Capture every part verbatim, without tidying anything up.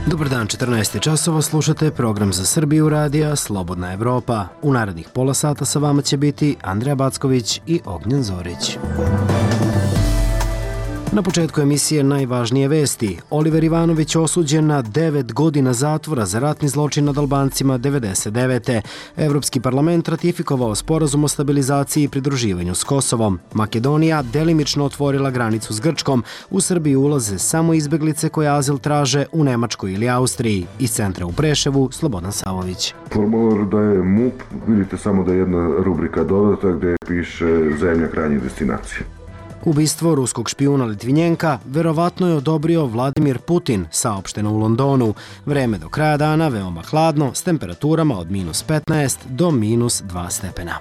Dobar dan, četrnaest časova, slušate program za Srbiju radija Slobodna Evropa. U narednih pola sata sa vama će biti Andreja Backović i Ognjen Zorić. Na početku emisije najvažnije vesti. Oliver Ivanović osuđen na devet godina zatvora za ratni zločin nad Albancima devedeset devete. Evropski parlament ratifikovao sporazum o stabilizaciji i pridruživanju s Kosovom. Makedonija delimično otvorila granicu s Grčkom. U Srbiji ulaze samo izbeglice koje azil traže u Nemačkoj ili Austriji. Iz centra u Preševu, Slobodan Savović. Formular da je M U P, vidite samo da je jedna rubrika dodata gdje piše zemlja krajnje destinacije. Ubistvo ruskog špijuna Litvinjenka verovatno je odobrio Vladimir Putin, saopšteno u Londonu. Vreme do kraja dana veoma hladno s temperaturama od minus petnaest do minus dva stepena.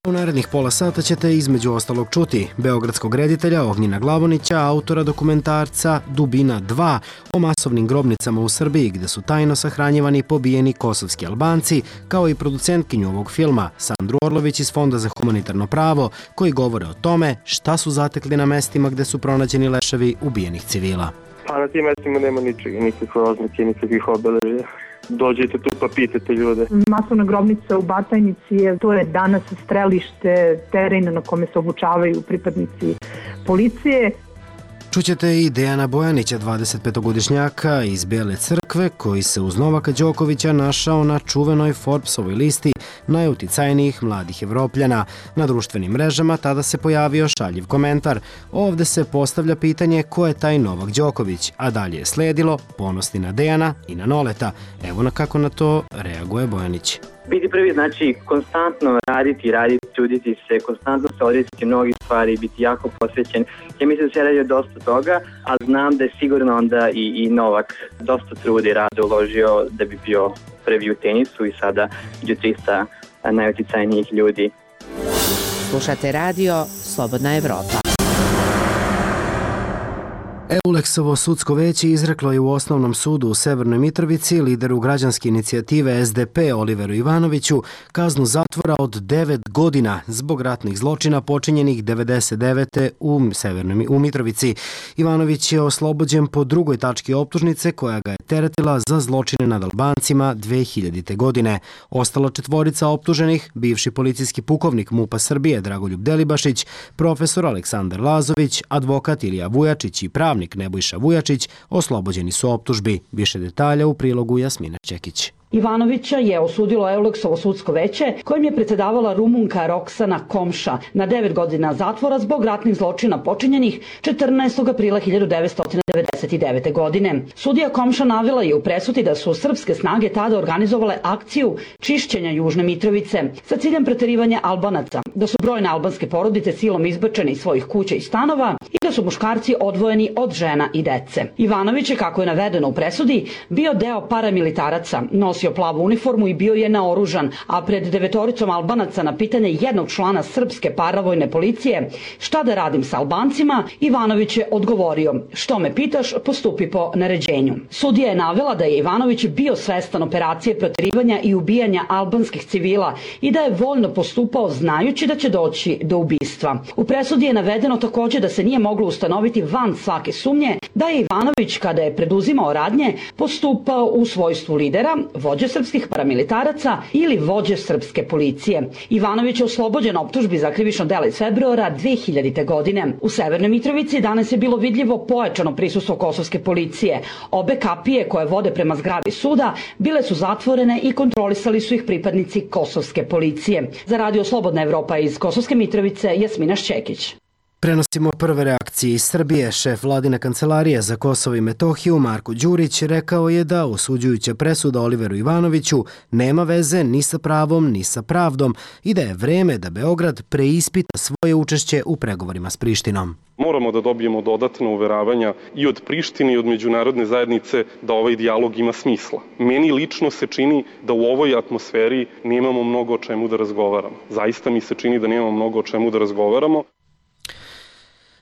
U narednih pola sata ćete između ostalog čuti beogradskog reditelja Ognjena Glavonića, autora dokumentarca Dubina dva o masovnim grobnicama u Srbiji gde su tajno sahranjivani pobijeni kosovski Albanci, kao i producentkinju ovog filma Sandru Orlović iz Fonda za humanitarno pravo, koji govore o tome šta su zatekli na mestima gde su pronađeni leševi ubijenih civila. Pa na tim mestima nema ničega, nikakve oznake, nikakvih obeležja. Dođete tu pa pitate ljude. Masovna grobnica u Batajnici je, to je danas strelište, teren na kome se obučavaju pripadnici policije. Čućete i Dejana Bojanića, dvadesetpetogodišnjaka iz Bele Crkve, koji se uz Novaka Đokovića našao na čuvenoj Forbesovoj listi najuticajnijih mladih Evropljana. Na društvenim mrežama tada se pojavio šaljiv komentar. Ovde se postavlja pitanje ko je taj Novak Đoković, a dalje je sledilo ponosti na Dejana i na Noleta. Evo na kako na to reaguje Bojanić. Biti prvi znači konstantno raditi, raditi, truditi se, konstantno se odrećiti mnogih stvari, biti jako posvećen. Ja mislim da se radi dosta toga, ali znam da je sigurno onda i, i Novak dosta truda i rada uložio da bi bio prvi u tenisu i sada među trista najuticajnijih ljudi. Slušate radio Slobodna Evropa. Euleksovo sudsko veće izreklo je u Osnovnom sudu u Severnoj Mitrovici lideru građanske inicijative S D P Oliveru Ivanoviću kaznu zatvora od devet godina zbog ratnih zločina počinjenih devedeset devete u Severnoj u Mitrovici. Ivanović je oslobođen po drugoj tački optužnice koja ga je teretila za zločine nad Albancima dve hiljadite. godine. Ostala četvorica optuženih, bivši policijski pukovnik M U P-a Srbije Dragoljub Delibašić, profesor Aleksandar Lazović, advokat Ilija Vujačić i pravnik Nebojša Vujačić, oslobođeni su optužbi. Više detalja u prilogu Jasmina Čekić. Ivanovića je osudilo Euleksovo sudsko veće kojim je predsedavala Rumunka Roksana Komša na devet godina zatvora zbog ratnih zločina počinjenih četrnaestog aprila hiljadu devetsto devedeset devete. godine. Sudija Komša navela je u presudi da su srpske snage tada organizovale akciju čišćenja Južne Mitrovice sa ciljem preterivanja Albanaca, da su brojne albanske porodice silom izbačene iz svojih kuća i stanova i da su muškarci odvojeni od žena i dece. Ivanović je, kako je navedeno u presudi, bio deo paramilitaraca, nosio plavu uniformu i bio je naoružan, a pred devetoricom Albanaca na pitanje jednog člana srpske paravojne policije šta da radim sa Albancima, Ivanović je odgovorio: što me pitaš, postupi po naređenju. Sudija je navela da je Ivanović bio svestan operacije proterivanja i ubijanja albanskih civila i da je voljno postupao znajući da će doći do ubistva. U presudi je navedeno također da se nije moglo ustanoviti van svake sumnje da je Ivanović, kada je preduzimao radnje, postupao u svojstvu lidera, vođe srpskih paramilitaraca ili vođe srpske policije. Ivanović je oslobođen optužbi za krivično delo iz februara dve hiljadite. godine. U Severnoj Mitrovici danas je bilo vidljivo pojačano prisustvo kosovske policije. Obe kapije koje vode prema zgradi suda bile su zatvorene i kontrolisali su ih pripadnici kosovske policije. Za radio Slobodna Evropa iz Kosovske Mitrovice, Jasmina Šćekić. Prenosimo prve reakcije iz Srbije. Šef vladine kancelarije za Kosovo i Metohiju Marko Đurić rekao je da osuđujuća presuda Oliveru Ivanoviću nema veze ni sa pravom ni sa pravdom i da je vreme da Beograd preispita svoje učešće u pregovorima s Prištinom. Moramo da dobijemo dodatna uveravanja i od Prištine i od međunarodne zajednice da ovaj dijalog ima smisla. Meni lično se čini da u ovoj atmosferi nemamo mnogo o čemu da razgovaramo. Zaista mi se čini da nemamo mnogo o čemu da razgovaramo.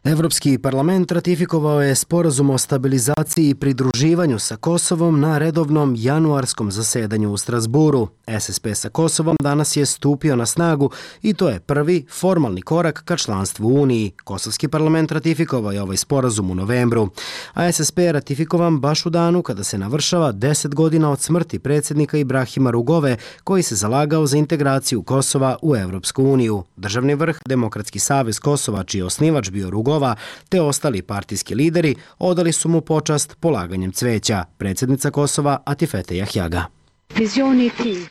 Evropski parlament ratifikovao je sporazum o stabilizaciji i pridruživanju sa Kosovom na redovnom januarskom zasedanju u Strasburu. S S P sa Kosovom danas je stupio na snagu i to je prvi formalni korak ka članstvu u Uniji. Kosovski parlament ratifikovao je ovaj sporazum u novembru, a S S P je ratifikovan baš u danu kada se navršava deset godina od smrti predsjednika Ibrahima Rugove, koji se zalagao za integraciju Kosova u Evropsku uniju. Državni vrh, Demokratski savez Kosova, čiji je osnivač bio Rugova, te ostali partijski lideri odali su mu počast polaganjem cveća. Predsjednica Kosova Atifete Jahjaga.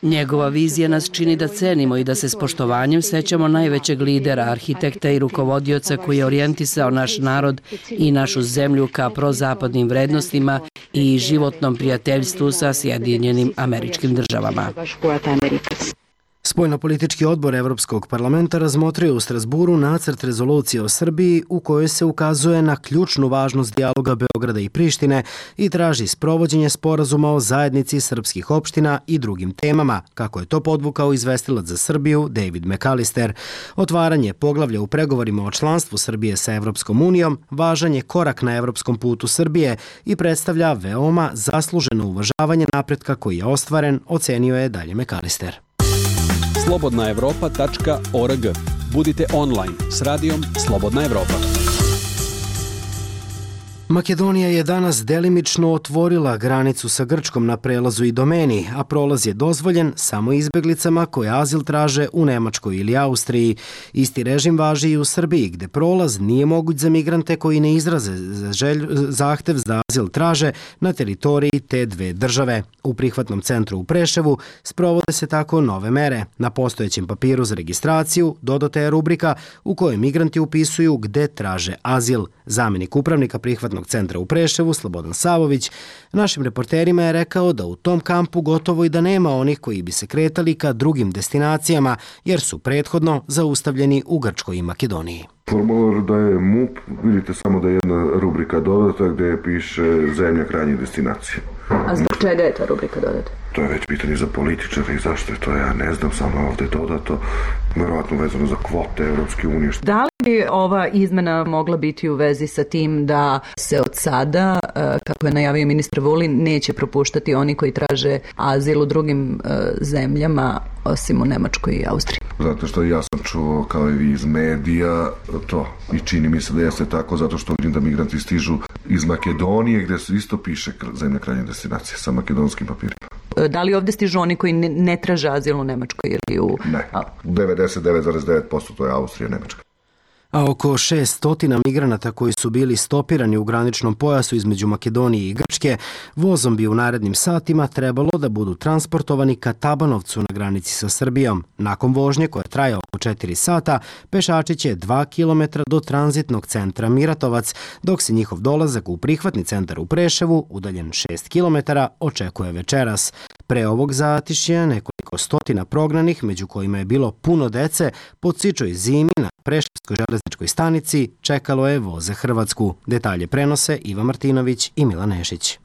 Njegova vizija nas čini da cenimo i da se s poštovanjem sećamo najvećeg lidera, arhitekta i rukovodioca koji je orijentisao naš narod i našu zemlju ka prozapadnim vrednostima i životnom prijateljstvu sa Sjedinjenim Američkim Državama. Spoljnopolitički odbor Evropskog parlamenta razmotrio u Strasburu nacrt rezolucije o Srbiji u kojoj se ukazuje na ključnu važnost dijaloga Beograda i Prištine i traži sprovođenje sporazuma o zajednici srpskih opština i drugim temama, kako je to podvukao izvestilac za Srbiju David McAllister. Otvaranje poglavlja u pregovorima o članstvu Srbije sa Evropskom unijom važan je korak na evropskom putu Srbije i predstavlja veoma zasluženo uvažavanje napretka koji je ostvaren, ocenio je dalje McAllister. slobodna evropa tačka org. Budite online s radijom Slobodna Evropa. Makedonija je danas delimično otvorila granicu sa Grčkom na prelazu i domeni, a prolaz je dozvoljen samo izbeglicama koje azil traže u Nemačkoj ili Austriji. Isti režim važi i u Srbiji, gde prolaz nije moguć za migrante koji ne izraze želj, zahtev za azil traže na teritoriji te dve države. U prihvatnom centru u Preševu sprovode se tako nove mere. Na postojećem papiru za registraciju dodata je rubrika u kojoj migranti upisuju gde traže azil. Zamenik upravnika prihvatnog centra u Preševu, Slobodan Savović, našim reporterima je rekao da u tom kampu gotovo i da nema onih koji bi se kretali ka drugim destinacijama, jer su prethodno zaustavljeni u Grčkoj i Makedoniji. Formular da je M U P, vidite samo da je jedna rubrika dodata gde piše zemlja krajnje destinacije. A zbog čega je ta rubrika dodata? To je već pitanje za političara i zašto je to, ja ne znam, samo ovde dodato, verovatno vezano za kvote Evropske unije. Da li bi ova izmena mogla biti u vezi sa tim da se od sada, kako je najavio ministar Vulin, neće propuštati oni koji traže azil u drugim zemljama, osim u Nemačkoj i Austriji? Zato što ja sam čuo, kao i vi iz medija, to i čini mi se da jeste tako, zato što vidim da migranti stižu iz Makedonije, gde se isto piše zemlja krajnje destinacije sa makedonskim papirima. Da li ovde stižu oni koji ne, ne traže azil u Nemačkoj ili u... Ne, devedeset devet zarez devet posto to je Austrija i Nemačka. A oko šessto migranata koji su bili stopirani u graničnom pojasu između Makedonije i Grčke, vozom bi u narednim satima trebalo da budu transportovani ka Tabanovcu na granici sa Srbijom. Nakon vožnje koja traje oko četiri sata, pešači će dva kilometra do tranzitnog centra Miratovac, dok se njihov dolazak u prihvatni centar u Preševu, udaljen šest kilometara, očekuje večeras. Pre ovog zatišja nekoliko stotina prognanih, među kojima je bilo puno dece, po cičoj zimi na Preševskoj železničkoj stanici čekalo je voz za Hrvatsku. Detalje prenose Iva Martinović i Milan Nešić.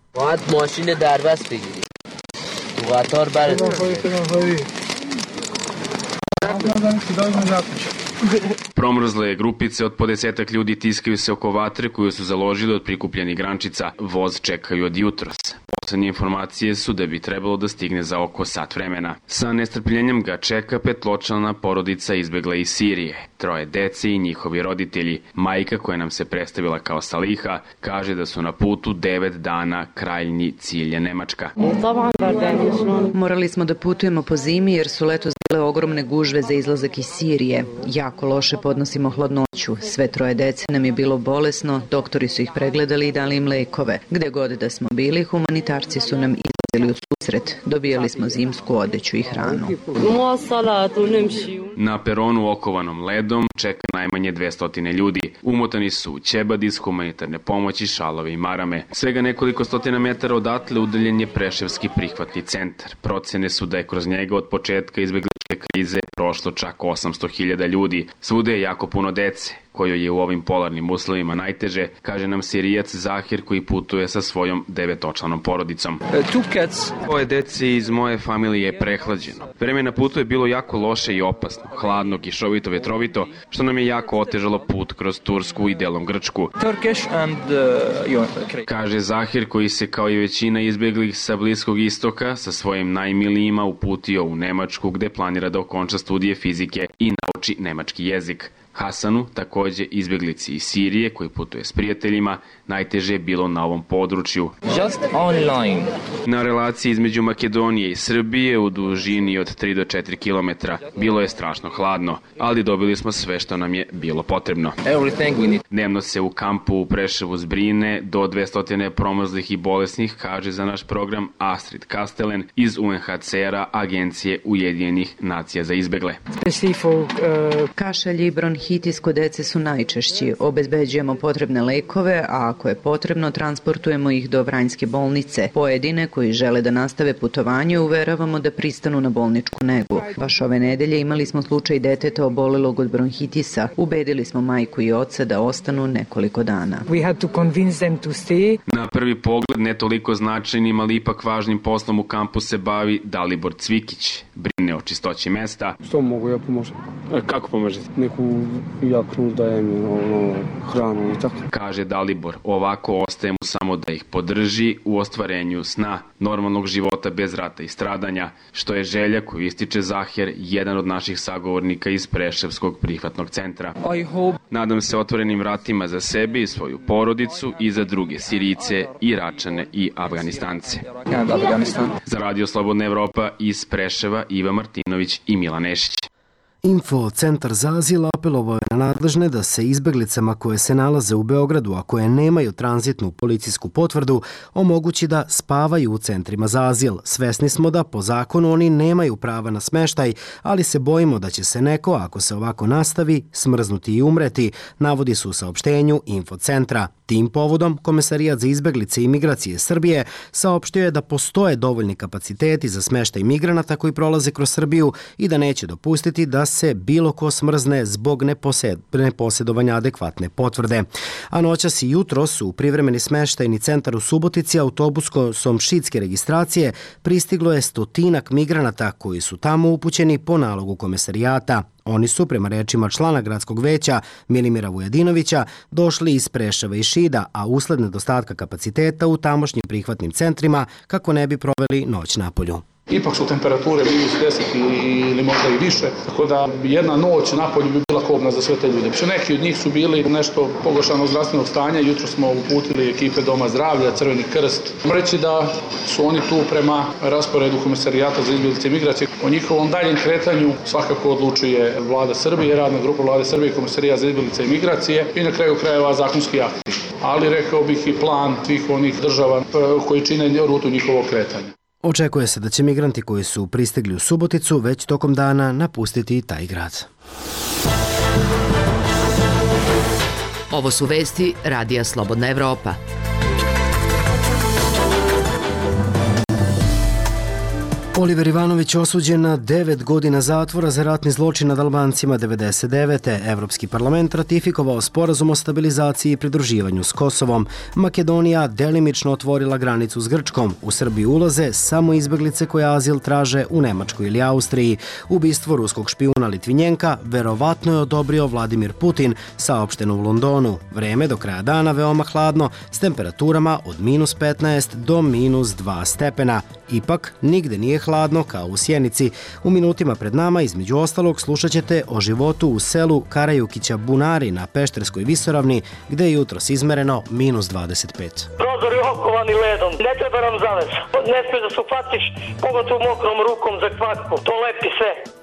Promrzle grupice od po desetak ljudi tiskaju se oko vatre koju su založili od prikupljenih grančica. Voz čekaju od jutros. Poslednje informacije su da bi trebalo da stigne za oko sat vremena. Sa nestrpljenjem ga čeka petločlana porodica izbegla iz Sirije. Troje dece i njihovi roditelji. Majka, koja nam se predstavila kao Saliha, kaže da su na putu devet dana, krajnji cilj je Nemačka. Morali smo da putujemo po zimi jer su letos bile ogromne gužve za izlazak iz Sirije. Jako loše podnosimo hladnoću. Sve troje dece nam je bilo bolesno, doktori su ih pregledali i dali im lekove. Gde god da smo bili, humanitarci su nam izlazili u susret. Dobijali smo zimsku odeću i hranu. Na peronu okovanom ledom čeka najmanje dvesta ljudi. Umotani su u ćebadi s humanitarne pomoći, šalove i marame. Svega nekoliko stotina metara odatle udaljen je Preševski prihvatni centar. Procene su da je kroz njega od početka izbegličke krize prošlo čak osamsto hiljada ljudi. Svude je jako puno dece, kojoj je u ovim polarnim uslovima najteže, kaže nam Sirijac Zahir koji putuje sa svojom devetočlanom porodicom. Dvoje deci iz moje familije je prehlađeno. Vreme na putu je bilo jako loše i opasno. hladno, kišovito, vetrovito, što nam je jako otežalo put kroz Tursku i delom Grčku. Kaže Zahir, koji se kao i većina izbjeglih sa Bliskog istoka sa svojim najmilijima uputio u Nemačku, gde planira da okonča studije fizike i nauči nemački jezik. Hasanu, takođe izbjeglici iz Sirije, koji putuje s prijateljima, najteže je bilo na ovom području. Just online. Na relaciji između Makedonije i Srbije u dužini od tri do četiri kilometra bilo je strašno hladno, ali dobili smo sve što nam je bilo potrebno. Dnevno se u kampu u Preševu zbrine do dvesta promrzlih i bolesnih, kaže za naš program Astrid Kastelen iz U N H C R-a, Agencije Ujedinjenih nacija za izbegle. Kašalj i bronhitis kod dece su najčešći. Obezbeđujemo potrebne lekove, a ako je potrebno, transportujemo ih do Vranjske bolnice. Pojedine koji žele da nastave putovanje uveravamo da pristanu na bolničku negu. Baš ove nedelje imali smo slučaj deteta obolelog od bronhitisa. Ubedili smo majku i oca da ostanu nekoliko dana. Na prvi pogled ne toliko značajnim, ali ipak važnim poslom u kampu se bavi Dalibor Cvikić. Brine o čistoći mesta. Što mogu ja pomoći? Kako pomožete? Neku jaknu dajem, ono, hranu i tako. Kaže Dalibor, ovako ostaje mu samo da ih podrži u ostvarenju sna normalnog života bez rata i stradanja, što je želja koju ističe Zahir, jedan od naših sagovornika iz Preševskog prihvatnog centra. Nadam se otvorenim vratima za sebe i svoju porodicu i za druge Sirijce, Iračane i Afganistance. Za Radio Slobodna Evropa iz Preševa, Iva Martinović i Milan Nešić. Info Centar za azil apelovao je na nadležne da se izbeglicama koje se nalaze u Beogradu, a koje nemaju tranzitnu policijsku potvrdu, omogući da spavaju u centrima za azil. Svesni smo da po zakonu oni nemaju prava na smeštaj, ali se bojimo da će se neko, ako se ovako nastavi, smrznuti i umreti, navodi su u saopštenju Info Centra. Tim povodom, Komesarijat za izbeglice i migracije Srbije saopštio je da postoje dovoljni kapaciteti za smeštaj migranata koji prolaze kroz Srbiju i da neće dopustiti da se bilo ko smrzne zbog neposed, neposjedovanja adekvatne potvrde. A noćas i jutros u privremeni smeštajni centar u Subotici autobusom šitske registracije pristiglo je stotinak migranata koji su tamo upućeni po nalogu Komesarijata. Oni su, prema rečima člana gradskog veća Milimira Vujadinovića, došli iz Preševa i Šida, a usled nedostatka kapaciteta u tamošnjim prihvatnim centrima kako ne bi proveli noć napolju. Ipak su temperature minus deset ili možda i više, tako da jedna noć napolju bi bila kobna za sve te ljude. Še neki od njih su bili nešto pogoršanog zdravstvenog stanja, jutro smo uputili ekipe Doma zdravlja, Crveni krst. Reći da su oni tu prema rasporedu Komesarijata za izbjeglice i migracije. O njihovom daljem kretanju svakako odlučuje Vlada Srbije, radna grupa Vlade Srbije i Komesarijat za izbjeglice i migracije i na kraju krajeva zakonski akti. Ali rekao bih i plan svih onih država koji čine rutu njihovog kretanja. Očekuje se da će migranti koji su pristigli u Suboticu već tokom dana napustiti taj grad. Ovo su vesti Radija Slobodna Evropa. Oliver Ivanović osuđen na devet godina zatvora za ratni zločin nad Albancima devedeset devete. Evropski parlament ratifikovao sporazum o stabilizaciji i pridruživanju s Kosovom. Makedonija delimično otvorila granicu s Grčkom. U Srbiju ulaze samo izbeglice koje azil traže u Nemačkoj ili Austriji. Ubistvo ruskog špijuna Litvinjenka verovatno je odobrio Vladimir Putin, saopšteno u Londonu. Vreme do kraja dana veoma hladno, s temperaturama od minus petnaest do minus dva stepena. Ipak, nigde nije hladno kao u Sjenici. U minutima pred nama, između ostalog, slušat ćete o životu u selu Karajukića Bunari na Pešterskoj visoravni, gde je jutros izmereno minus dvadeset pet. Prozori okovani ledom, ne treba nam zaves. Ne smiješ da se upatiš, pogotovo mokrom rukom za kvakku. To lepi sve.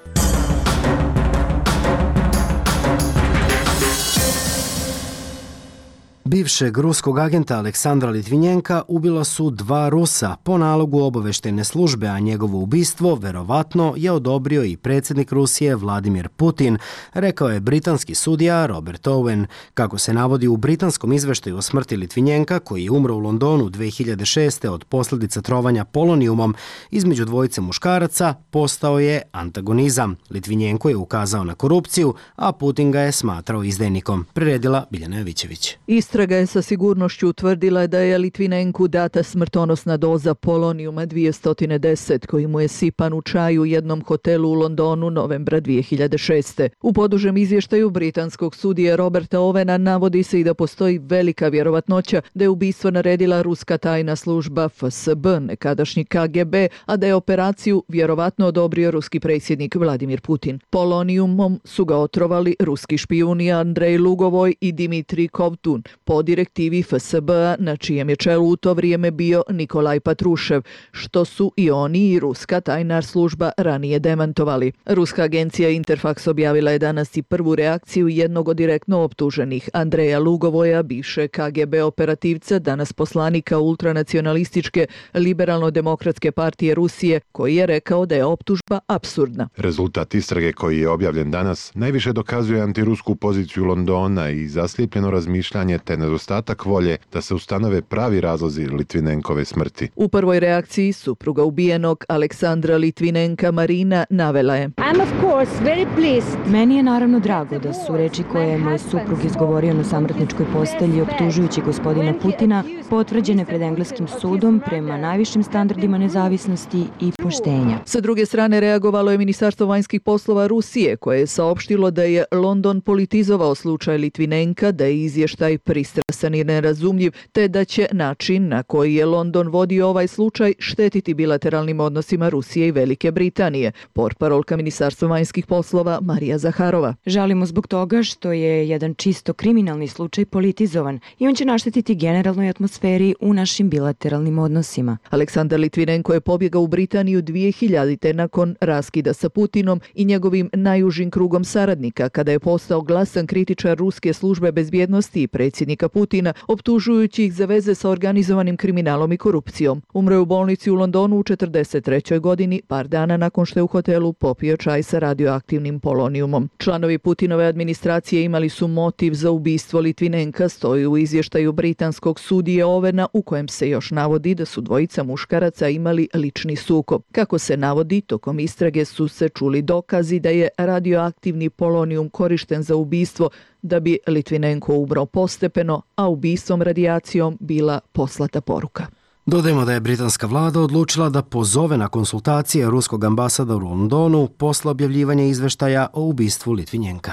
Bivšeg ruskog agenta Aleksandra Litvinjenka ubila su dva Rusa po nalogu obaveštajne službe, a njegovo ubistvo verovatno je odobrio i predsjednik Rusije Vladimir Putin, rekao je britanski sudija Robert Owen. Kako se navodi u britanskom izveštaju o smrti Litvinjenka, koji je umro u Londonu dve hiljade šeste od posljedica trovanja polonijumom, između dvojice muškaraca postao je antagonizam. Litvinjenko je ukazao na korupciju, a Putin ga je smatrao izdajnikom. Priredila Biljana Jovićević. Istrage Istraga je sa sigurnošću utvrdila da je Litvinenku data smrtonosna doza polonijuma dvjesto deset koji mu je sipan u čaju u jednom hotelu u Londonu novembra dvije hiljade šeste. U podužem izvještaju britanskog sudije Roberta Owena navodi se i da postoji velika vjerovatnoća da je ubistvo naredila ruska tajna služba F S B, nekadašnji K G B, a da je operaciju vjerovatno odobrio ruski predsjednik Vladimir Putin. Polonijumom su ga otrovali ruski špijuni Andrej Lugovoj i Dimitrij Kovtun po direktivi F S B-a na čijem je čelu u to vrijeme bio Nikolaj Patrušev, što su i oni i ruska tajna služba ranije demantovali. Ruska agencija Interfax objavila je danas i prvu reakciju jednog od direktno optuženih, Andreja Lugovoja, bivše K G B operativca, danas poslanika ultranacionalističke liberalno-demokratske partije Rusije, koji je rekao da je optužba apsurdna. Rezultat istrage koji je objavljen danas najviše dokazuje antirusku poziciju Londona i zaslijepljeno razmišljanje te nedostatak volje da se ustanove pravi razlozi Litvinenkove smrti. U prvoj reakciji supruga ubijenog Aleksandra Litvinenka Marina navela je: I'm of course very pleased. Meni je naravno drago da su reči koje je moj suprug izgovorio na samrtničkoj postelji optužujući gospodina Putina potvrđene pred engleskim sudom prema najvišim standardima nezavisnosti i poštenja. Sa druge strane reagovalo je Ministarstvo vanjskih poslova Rusije, koje je saopštilo da je London politizovao slučaj Litvinenka, da je izvještaj pristrasan i nerazumljiv, te da će način na koji je London vodio ovaj slučaj štetiti bilateralnim odnosima Rusije i Velike Britanije. Portparolka Ministarstva vanjskih poslova Marija Zaharova: žalimo zbog toga što je jedan čisto kriminalni slučaj politizovan i on će naštetiti generalnoj atmosferi u našim bilateralnim odnosima. Aleksandar Litvinenko je pobjegao u Britaniju dvije hiljadite nakon raskida sa Putinom i njegovim najužim krugom saradnika, kada je postao glasan kritičar ruske službe bezbjednosti i predsjednika Putina, optužujući ih za veze sa organizovanim kriminalom i korupcijom. Umro je u bolnici u Londonu u četrdeset trećoj godini, par dana nakon što je u hotelu popio čaj sa radioaktivnim polonijumom. Članovi Putinove administracije imali su motiv za ubistvo Litvinenka, stoji u izvještaju britanskog sudije Owena, u kojem se još navodi da su dvojica muškaraca imali lični sukob. Kako se navodi, tokom istrage su se čuli dokazi da je radioaktivni polonijum korišten za ubistvo, da bi Litvinenko umro postepeno, a ubistvom radijacijom bila poslata poruka. Dodajemo da je britanska vlada odlučila da pozove na konsultacije ruskog ambasadora u Londonu posle objavljivanja izveštaja o ubistvu Litvinenka.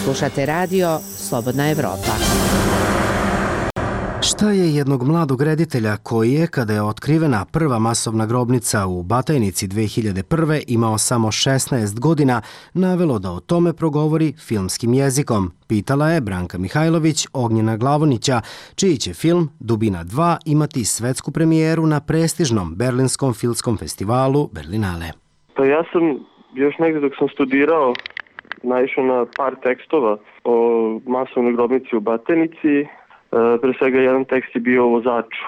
Slušate radio Slobodna Evropa. Šta je jednog mladog reditelja koji je, kada je otkrivena prva masovna grobnica u Batajnici dve hiljade prve, imao samo šesnaest godina, navelo da o tome progovori filmskim jezikom? Pitala je Branka Mihajlović Ognjena Glavonića, čiji će film Dubina dva imati svetsku premijeru na prestižnom Berlinskom filmskom festivalu Berlinale. Pa ja sam još negdje dok sam studirao naišao na par tekstova o masovnoj grobnici u Batajnici. Pre svega jedan tekst je bio o vozaču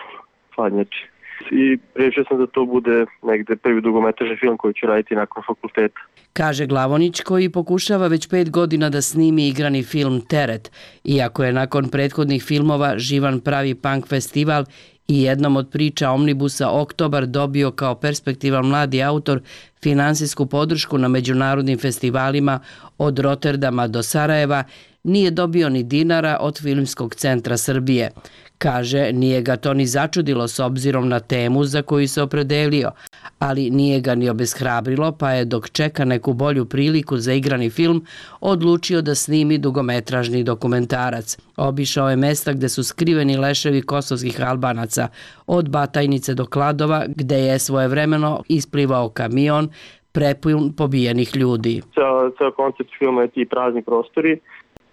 hladnjači i rešio sam da to bude negde prvi dugometražni film koji ću raditi nakon fakulteta. Kaže Glavonić, koji pokušava već pet godina da snimi igrani film Teret, iako je nakon prethodnih filmova Živan pravi punk festival i jednom od priča Omnibusa Oktobar dobio kao perspektivan mladi autor finansijsku podršku na međunarodnim festivalima od Rotterdama do Sarajeva, nije dobio ni dinara od Filmskog centra Srbije. Kaže, nije ga to ni začudilo s obzirom na temu za koju se opredelio, ali nije ga ni obeshrabrilo, pa je dok čeka neku bolju priliku za igrani film, odlučio da snimi dugometražni dokumentarac. Obišao je mesta gde su skriveni leševi kosovskih Albanaca, od Batajnice do Kladova, gde je svojevremeno isplivao kamion prepun pobijenih ljudi. Ceo, ceo koncept filma je ti prazni prostori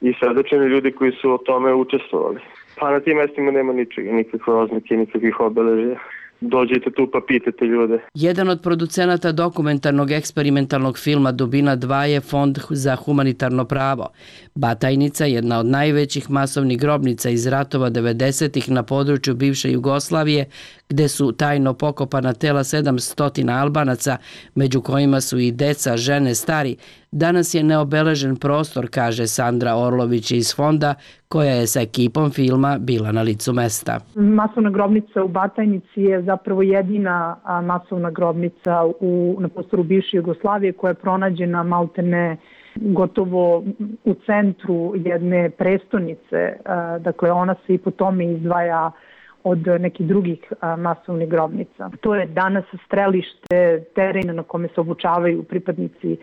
i svedočeni ljudi koji su o tome učestvovali. Pa na tim mestima nema ničega, nikakve oznake, nikakvih obeležja. Dođete tu pa pitate ljude. Jedan od producenata dokumentarnog eksperimentalnog filma Dubina dva je Fond za humanitarno pravo. Batajnica, jedna od najvećih masovnih grobnica iz ratova devedesetih na području bivše Jugoslavije, gde su tajno pokopana tela sedamsto Albanaca, među kojima su i deca, žene, stari, danas je neobeležen prostor, kaže Sandra Orlović iz Fonda, koja je sa ekipom filma bila na licu mesta. Masovna grobnica u Batajnici je zapravo jedina masovna grobnica u, na prostoru bivše Jugoslavije koja je pronađena maltene gotovo u centru jedne prestonice, dakle ona se i po tome izdvaja od nekih drugih masovnih grobnica. To je danas strelište, teren na kome se obučavaju pripadnici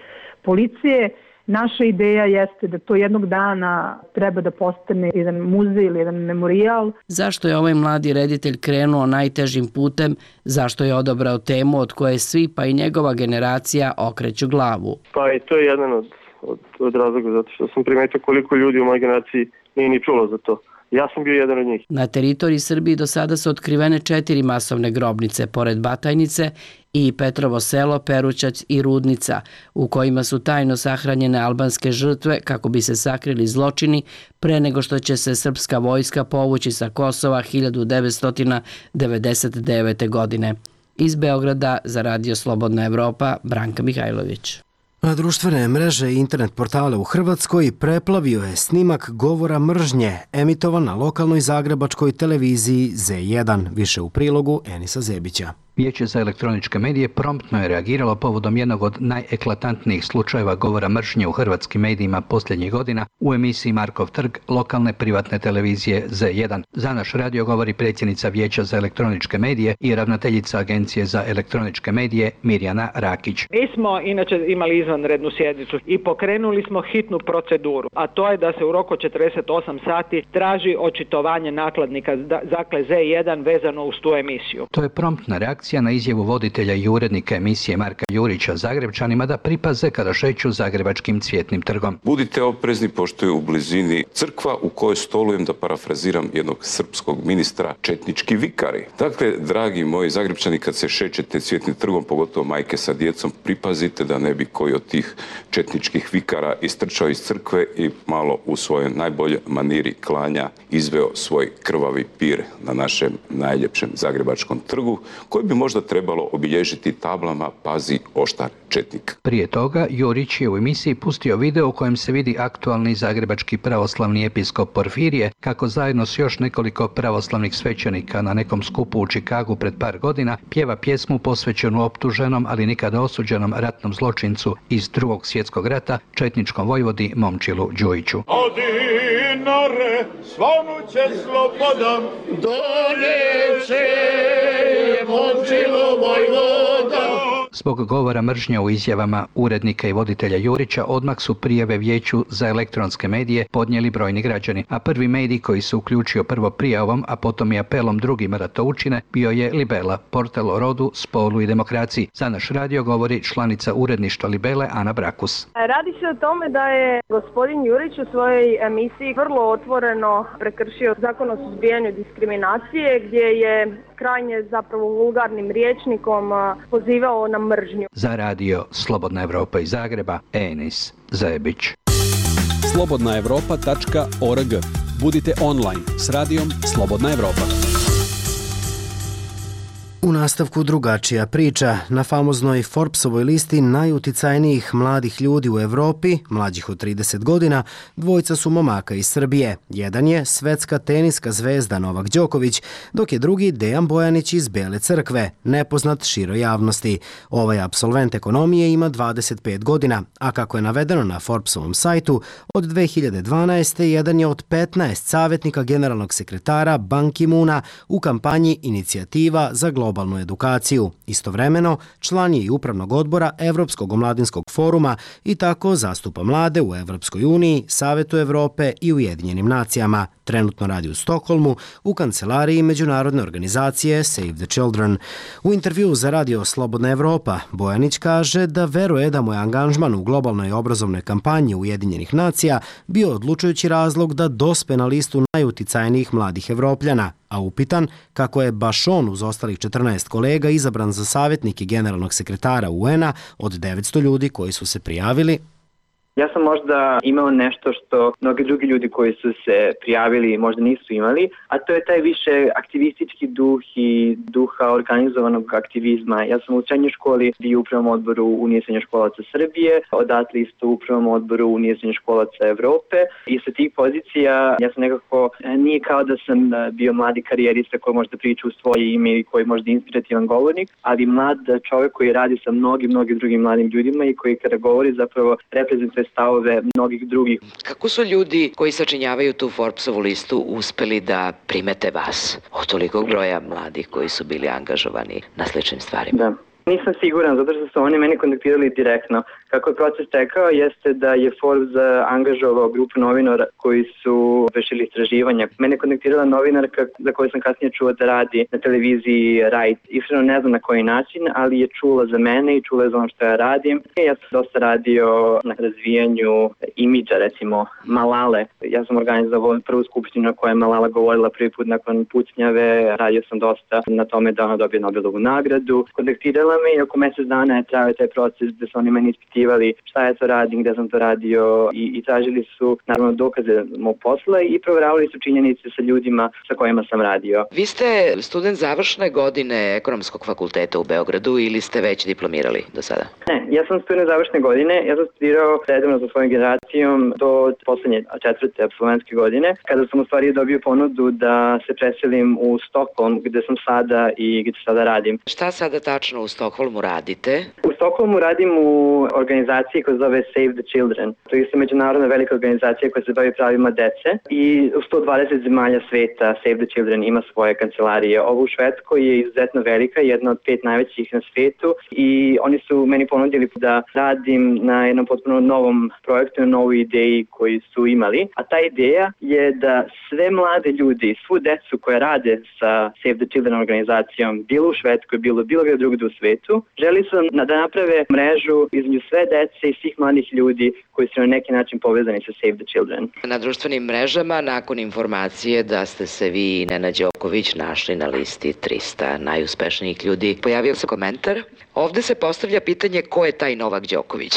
policije. Naša ideja jeste da to jednog dana treba da postane jedan muzej ili jedan memorijal. Zašto je ovaj mladi reditelj krenuo najtežim putem? Zašto je odabrao temu od koje svi, pa i njegova generacija, okreću glavu? Pa i to je jedan od, od, od razloga, zato što sam primetio koliko ljudi u mojoj generaciji nije ni čulo za to. Ja sam bio jedan od njih. Na teritoriji Srbije do sada su otkrivene četiri masovne grobnice, pored Batajnice i Petrovo selo, Perućac i Rudnica, u kojima su tajno sahranjene albanske žrtve kako bi se sakrili zločini pre nego što će se srpska vojska povući sa Kosova hiljadu devetsto devedeset devete. godine. Iz Beograda za Radio Slobodna Evropa, Branka Mihajlović. Na društvene mreže i internet portale u Hrvatskoj preplavio je snimak govora mržnje emitovan na lokalnoj zagrebačkoj televiziji Z jedan. Više u prilogu Enisa Zebića. Vijeće za elektroničke medije promptno je reagiralo povodom jednog od najeklatantnijih slučajeva govora mržnje u hrvatskim medijima posljednjih godina u emisiji Markov trg lokalne privatne televizije Z jedan. Za naš radio govori predsjednica Vijeća za elektroničke medije i ravnateljica Agencije za elektroničke medije Mirjana Rakić. Mi smo inače imali izvanrednu sjednicu i pokrenuli smo hitnu proceduru, a to je da se u roku četrdeset osam sati traži očitovanje nakladnika dakle Z jedan vezano uz tu emisiju. To je promptna reakcija na izjavu voditelja i urednika emisije Marka Jurića Zagrebčanima da pripaze kada šeću zagrebačkim Cvjetnim trgom. Budite oprezni pošto je u blizini crkva u kojoj stolujem, da parafraziram jednog srpskog ministra, četnički vikari. Dakle, dragi moji Zagrebčani, kad se šećete Cvjetnim trgom, pogotovo majke sa djecom, pripazite da ne bi koji od tih četničkih vikara istrčao iz crkve i malo u svojoj najbolje maniri klanja izveo svoj krvavi pir na našem najljepšem zagrebačkom trgu, koji bi možda trebalo obilježiti tablama "Pazi oštar četnik". Prije toga, Jurić je u emisiji pustio video u kojem se vidi aktualni zagrebački pravoslavni episkop Porfirije kako zajedno s još nekoliko pravoslavnih svećenika na nekom skupu u Čikagu pred par godina pjeva pjesmu posvećenu optuženom, ali nikada osuđenom ratnom zločincu iz Drugog svjetskog rata, četničkom vojvodi Momčilu Đujiću. Dinare, svanuće slobodam, doneće Momčilo vojvoda. Zbog govora mržnje u izjavama urednika i voditelja Jurića odmah su prijave Vijeću za elektronske medije podnijeli brojni građani, a prvi medij koji se uključio prvo prijavom, a potom i apelom drugima da to učine, bio je Libela, portal o rodu, spolu i demokraciji. Za naš radio govori članica uredništva Libele Ana Brakus. Radi se o tome da je gospodin Jurić u svojoj emisiji vrlo otvoreno prekršio zakon o suzbijanju diskriminacije, gdje je krajnje zapravo vulgarnim rječnikom pozivao na mržnju. Za radio Slobodna Evropa iz Zagreba, Enis Zebić. slobodna evropa tačka org. Budite online s radijom Slobodna Evropa. U nastavku drugačija priča. Na famoznoj Forbesovoj listi najuticajnijih mladih ljudi u Evropi, mlađih od trideset godina, dvojica su momaka iz Srbije. Jedan je svetska teniska zvezda Novak Đoković, dok je drugi Dejan Bojanić iz Bele Crkve, nepoznat široj javnosti. Ovaj apsolvent ekonomije ima dvadeset pet godina, a kako je navedeno na Forbesovom sajtu, od dve hiljade dvanaeste. jedan je od petnaest savjetnika generalnog sekretara Ban Ki-moona u kampanji Inicijativa za globalnu edukaciju. Istovremeno, član je i upravnog odbora Evropskog omladinskog foruma i tako zastupa mlade u Evropskoj uniji, Savetu Evrope i Ujedinjenim nacijama. Trenutno radi u Stokholmu u kancelariji međunarodne organizacije Save the Children. U intervjuu za Radio Slobodna Evropa, Bojanić kaže da veruje da mu je angažman u globalnoj obrazovnoj kampanji Ujedinjenih nacija bio odlučujući razlog da dospe na listu najuticajnijih mladih Evropljana, a upitan kako je baš on uz ostalih četrnaest kolega izabran za savjetnike generalnog sekretara U N-a od devetsto ljudi koji su se prijavili. Ja sam možda imao nešto što mnogi drugi ljudi koji su se prijavili možda nisu imali, a to je taj više aktivistički duh i duha organizovanog aktivizma. Ja sam u srednjoj školi bio u upravnom odboru Unije srednjoškolaca Srbije, odatle isto u upravnom odboru Unije srednjoškolaca Evrope i sa tih pozicija ja sam nekako, nije kao da sam bio mladi karijerista koji možda priča u svoje ime i koji možda inspirativan govornik, ali mlad čovjek koji radi sa mnogim, mnogim drugim mladim ljudima i koji kada govori zapravo reprezentuje stavove mnogih drugih. Kako su ljudi koji sačinjavaju tu Forbesovu listu uspeli da primete vas od tolikog broja mladih koji su bili angažovani na sličnim stvarima? Da. Nisam siguran, zato što su oni meni kontaktirali direktno. Kako je proces tekao, jeste da je Forbes angažovao grupu novinara koji su vršili istraživanja. Mene je kontaktirala novinarka za koju sam kasnije čuo da radi na televiziji Right. Iskreno ne znam na koji način, ali je čula za mene i čula je za ono što ja radim. Ja sam dosta radio na razvijanju imidža, recimo Malale. Ja sam organizovao prvu skupštinu na kojoj je Malala govorila prvi put nakon pucnjave. Radio sam dosta na tome da ona dobije Nobelovu nagradu. Kontaktirala me i oko mjesec dana je trajao taj proces gde su oni meni ispitivali šta ja to radim, gde sam to radio i, i tražili su naravno dokaze mog posla i provjeravali su činjenice sa ljudima sa kojima sam radio. Vi ste student završne godine Ekonomskog fakulteta u Beogradu ili ste već diplomirali do sada? Ne, ja sam student završne godine, ja sam studirao redovno sa svojom generacijom do poslednje četvrte apsolventske godine, kada sam u stvari dobio ponudu da se preselim u Stockholm gde sam sada i gde sada radim. Šta sada tačno u Stockholmu radite? U Stockholmu radim u organizaciji koja se zove Save the Children. To je isto međunarodna velika organizacija koja se bavi pravima dece i u sto dvadeset zemalja sveta Save the Children ima svoje kancelarije. Ovo u Švedskoj je izuzetno velika, jedna od pet najvećih na svetu i oni su meni ponudili da radim na jednom potpuno novom projektu, na novoj ideji koju su imali. A ta ideja je da sve mlade ljudi, svu decu koje rade sa Save the Children organizacijom, bilo u Švedskoj, bilo bilo gdje drugdje u svetu, želi su da naprave mrežu između sve dece i svih mladih ljudi koji su na neki način povezani sa Save the Children. Na društvenim mrežama, nakon informacije da ste se vi i Nenad Đoković našli na listi trista najuspešnijih ljudi, pojavio se komentar. Ovde se postavlja pitanje ko je taj Novak Đoković.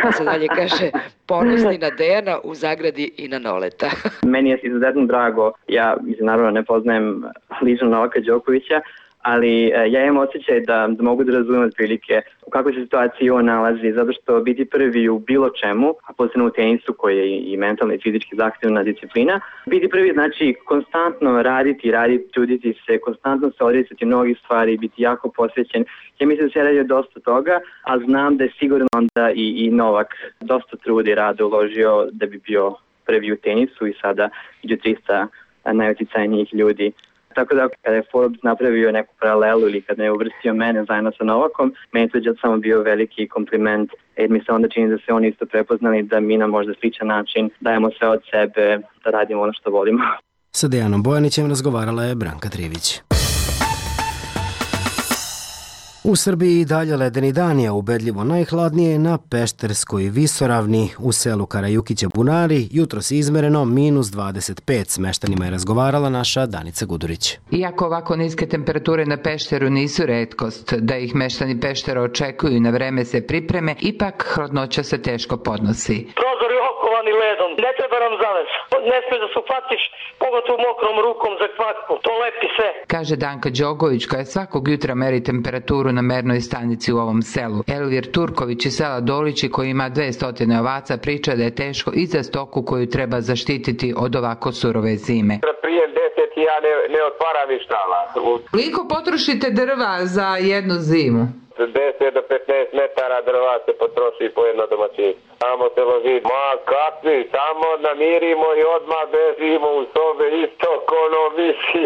Pa se dalje kaže ponosni na Dejana u zagradi i na Noleta. Meni je izuzetno drago, ja mislim, naravno ne poznajem lično Novaka Đokovića, ali ja imam osjećaj da, da mogu da razumem otprilike u kakvoj se situaciji on nalazi, zato što biti prvi u bilo čemu, a posebno u tenisu koji je i mentalno i fizički zahtevna disciplina, biti prvi znači konstantno raditi, raditi, truditi se, konstantno se odricati mnogih stvari, biti jako posvećen. Ja mislim da se radi dosta toga, a znam da je sigurno onda i, i Novak dosta truda i rada uložio da bi bio prvi u tenisu i sada među trista najuticajnijih ljudi. Tako da kada je Forbes napravio neku paralelu ili kada je uvrstio mene zajedno sa Novakom, meni to je samo bio veliki kompliment jer mi se onda čini da se oni isto prepoznali da mi na možda sličan način dajemo sve od sebe da radimo ono što volimo. Sa Dejanom Bojanićem razgovarala je Branka Trivić. U Srbiji dalje ledeni dan je ubedljivo najhladnije na Pešterskoj visoravni u selu Karajukića Bunari, jutros izmereno minus dvadeset pet. S meštanima je razgovarala naša Danica Gudurić. Iako ovako niske temperature na Pešteru nisu retkost, da ih meštani Peštera očekuju i na vreme se pripreme, ipak hladnoća se teško podnosi. Prozor je okovani ledom, ne treba nam zaves, ne smiješ da se uhvatiš, pogotovo mokrom rukom za kvakvu, to lepi sve. Kaže Danka Đogović koja svakog jutra meri temperaturu na mernoj stanici u ovom selu. Elvir Turković iz sela Dolići koji ima dvesta ovaca priča da je teško i za stoku koju treba zaštititi od ovako surove zime. Prije deset ja ne, ne otvaram i štala. Koliko potrošite drva za jednu zimu? deset do petnaest metara drva se potroši po jedno domaćinstvo. Samo se loži, ma kakvi, samo namirimo i odmah bežimo u sobe isto kono misi.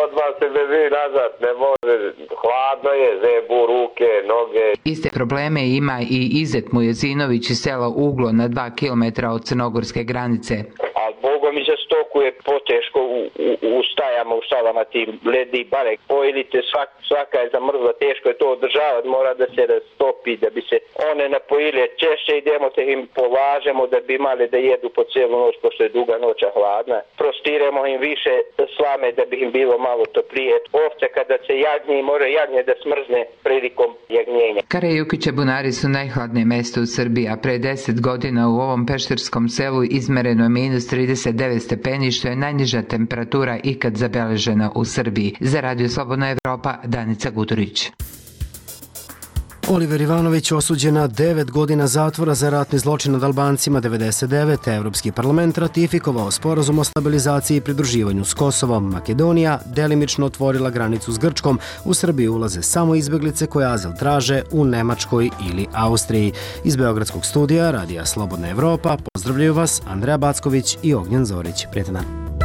Odmah se beži nazad, ne može, hladno je, zebu, ruke, noge. Iste probleme ima i Izet Mujezinović iz sela Uglo na dva kilometra od crnogorske granice. A Boga mi za stoku je poteško u, u, u stajama, u šalama tim ledi i barek. Pojilite, svak, svaka je zamrzla, teško je to održavati, mora da se rastopi, da bi se one napojile. Češće idemo te im polažemo da bi imali da jedu po cijelu noć, pošto je duga noća hladna. Prostiremo im više slame da bi im bilo malo toplije. Ovce kada se jagnje, mora jagnje da smrzne prilikom jagnjenja. Karajukića Bunari su najhladnije mesto u Srbiji, a pre deset godina u ovom pešterskom selu izmereno je minus trideset devet stepeni, što je najniža temperatura ikad zabeležena u Srbiji. Za Radio Slobodna Evropa, Danica Gudurić. Oliver Ivanović osuđen na devet godina zatvora za ratni zločin nad Albancima devedeset devete. Evropski parlament ratifikovao sporazum o stabilizaciji i pridruživanju s Kosovom. Makedonija delimično otvorila granicu s Grčkom. U Srbiju ulaze samo izbeglice koje azil traže u Nemačkoj ili Austriji. Iz Beogradskog studija Radija Slobodna Evropa pozdravljaju vas Andreja Backović i Ognjen Zorić. Prijetan dan.